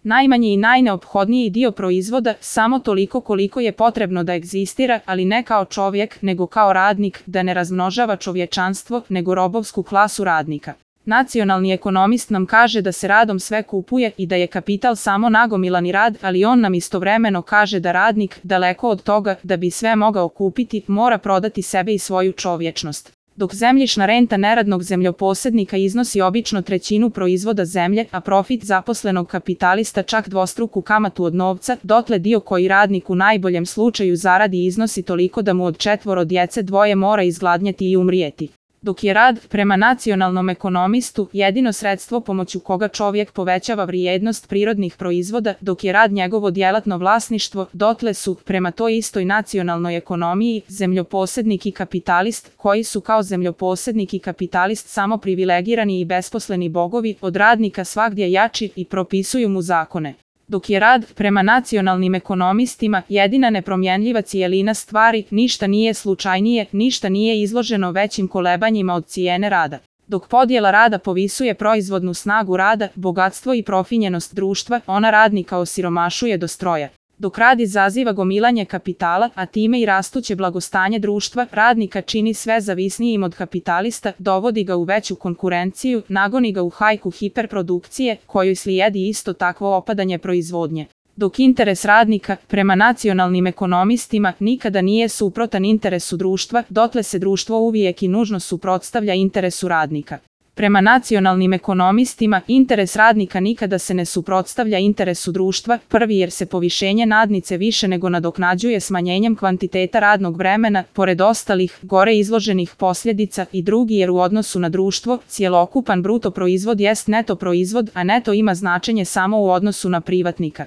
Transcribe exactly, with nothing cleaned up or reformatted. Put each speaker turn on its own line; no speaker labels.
Najmanji i najneophodniji dio proizvoda samo toliko koliko je potrebno da egzistira, ali ne kao čovjek, nego kao radnik, da ne razmnožava čovječanstvo, nego robovsku klasu radnika. Nacionalni ekonomist nam kaže da se radom sve kupuje i da je kapital samo nagomilani rad, ali on nam istovremeno kaže da radnik, daleko od toga da bi sve mogao kupiti, mora prodati sebe i svoju čovječnost. Dok zemljišna renta neradnog zemljoposednika iznosi obično trećinu proizvoda zemlje, a profit zaposlenog kapitalista čak dvostruku kamatu od novca, dotle dio koji radnik u najboljem slučaju zaradi iznosi toliko da mu od četvoro djece dvoje mora izgladnjeti i umrijeti. Dok je rad, prema nacionalnom ekonomistu, jedino sredstvo pomoću koga čovjek povećava vrijednost prirodnih proizvoda, dok je rad njegovo djelatno vlasništvo, dotle su, prema toj istoj nacionalnoj ekonomiji, zemljoposednik i kapitalist, koji su kao zemljoposednik i kapitalist samo privilegirani i besposleni bogovi, od radnika svagdje jači i propisuju mu zakone. Dok je rad, prema nacionalnim ekonomistima, jedina nepromjenljiva cijelina stvari, ništa nije slučajnije, ništa nije izloženo većim kolebanjima od cijene rada. Dok podjela rada povisuje proizvodnu snagu rada, bogatstvo i profinjenost društva, ona radnika osiromašuje do stroja. Dok rad izaziva gomilanje kapitala, a time i rastuće blagostanje društva, radnika čini sve zavisnijim od kapitalista, dovodi ga u veću konkurenciju, nagoni ga u hajku hiperprodukcije, kojoj slijedi isto takvo opadanje proizvodnje. Dok interes radnika, prema nacionalnim ekonomistima, nikada nije suprotan interesu društva, dotle se društvo uvijek i nužno suprotstavlja interesu radnika. Prema nacionalnim ekonomistima, interes radnika nikada se ne suprotstavlja interesu društva, prvi jer se povišenje nadnice više nego nadoknađuje smanjenjem kvantiteta radnog vremena, pored ostalih, gore izloženih posljedica, i drugi jer u odnosu na društvo, cjelokupan bruto proizvod jest neto proizvod, a neto ima značenje samo u odnosu na privatnika.